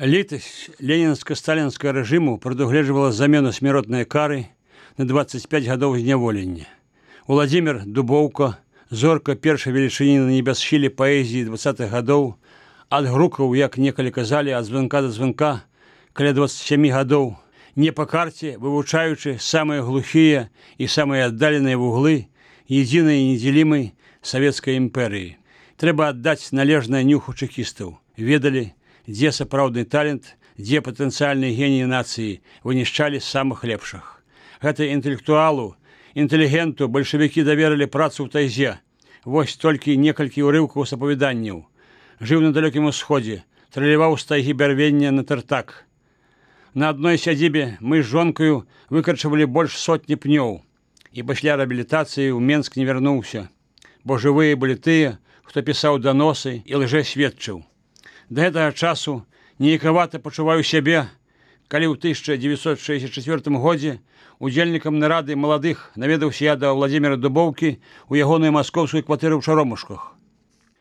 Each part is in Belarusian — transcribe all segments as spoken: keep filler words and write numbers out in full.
Літасць ленінска-сталінскага рэжыму прадугледжвала замену смяротнай кары на дваццаць пяць гадоў зняволення. Уладзімір Дубоўка, зорка першай велічыні на небясхіле паэзіі дваццатых гадоў, адгрукаў, як некалі казалі, ад званка да званка, каля дваццаць сямі гадоў, не па карце, вывучаючы самыя глухія і самыя аддаленыя вуглы едзінай і недзелімай савецкай імперыі. Трэба аддаць належнае нюху чэкістаў. Ведалі, дзе сапраўдны талент, дзе патэнцыяльныя геніі нацыі вынішчалі самых лепшых. Гэта інтэлектуалу, інтэлігенту бальшавікі даверылі працу ў тайзе. Вось толькі некалькі ўрыўкаў з апавяданняў. Жыў на далёкім усходзе, траляваў з тайгі бярвення на тартак. На адной сядзібе мы з жонкаю выкарчавалі больш сотні пнёў. І пасля рэабілітацыі ў Менск не вярнуўся, бо жывыя былі тыя, хто пісаў даносы і лжэсведчыў. Да гэтага часу неякавата пачуваю сябе, калі ў тысяча дзевяцьсот шэсцьдзесят чацвёртым годзе удзельнікам нарады маладых наведаўся я да Уладзіміра Дубоўкі ў ягоную маскоўскую кватэру ў Чаромушках.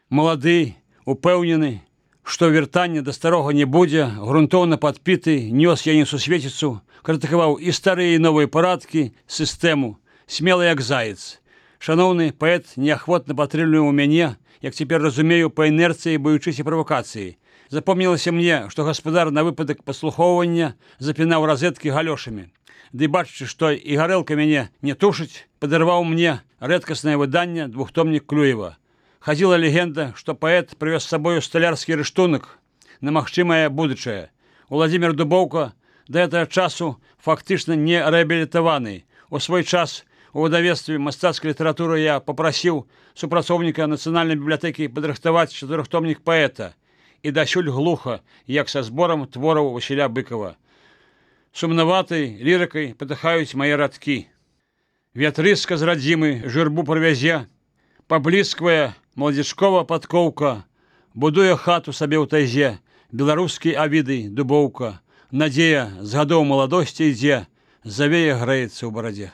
Малады, упэўнены, што вяртання да старога не будзе, грунтоўна падпіты, нёс я несусветіцу, крытыкаваў і старыя і новыя парадкі, сістэму, смелы як заяц. Шаноўны паэт неахвотна падтрымліваў мяне, як цяпер разумею, па інерцыі баючыся правакацыі. Запомнілася мне, што гаспадар на выпадак паслухоўвання запінаў разеткі галёшамі. Ды бачачы, што і гарэлка мяне не тушыць, падарваў мне рэдкаснае выданне двухтомнік Клюева. Хадзіла легенда, што паэт прывёз з сабою сталярскі рыштунак на магчымае будучае. Уладзімір Дубоўка да гэтага часу фактычна не рэабілітаваны. У свой час у выдавецтве мастацкай літаратуры я папрасіў супрацоўніка нацыянальнай бібліятэкі падрыхтаваць чатырохтомнік паэта, і дасюль глуха, як са зборам твораў Васіля Быкова. Сумнаватай лірыкай патыхаюць мае радкі. Вятрыска з радзімы журбу прывязе, паблісквае маладзічкова падкоўка, будуе хату сабе ў тайзе, беларускі Авідый Дубоўка, надзея з гадоў маладосці ідзе, завея грэецца ў барадзе.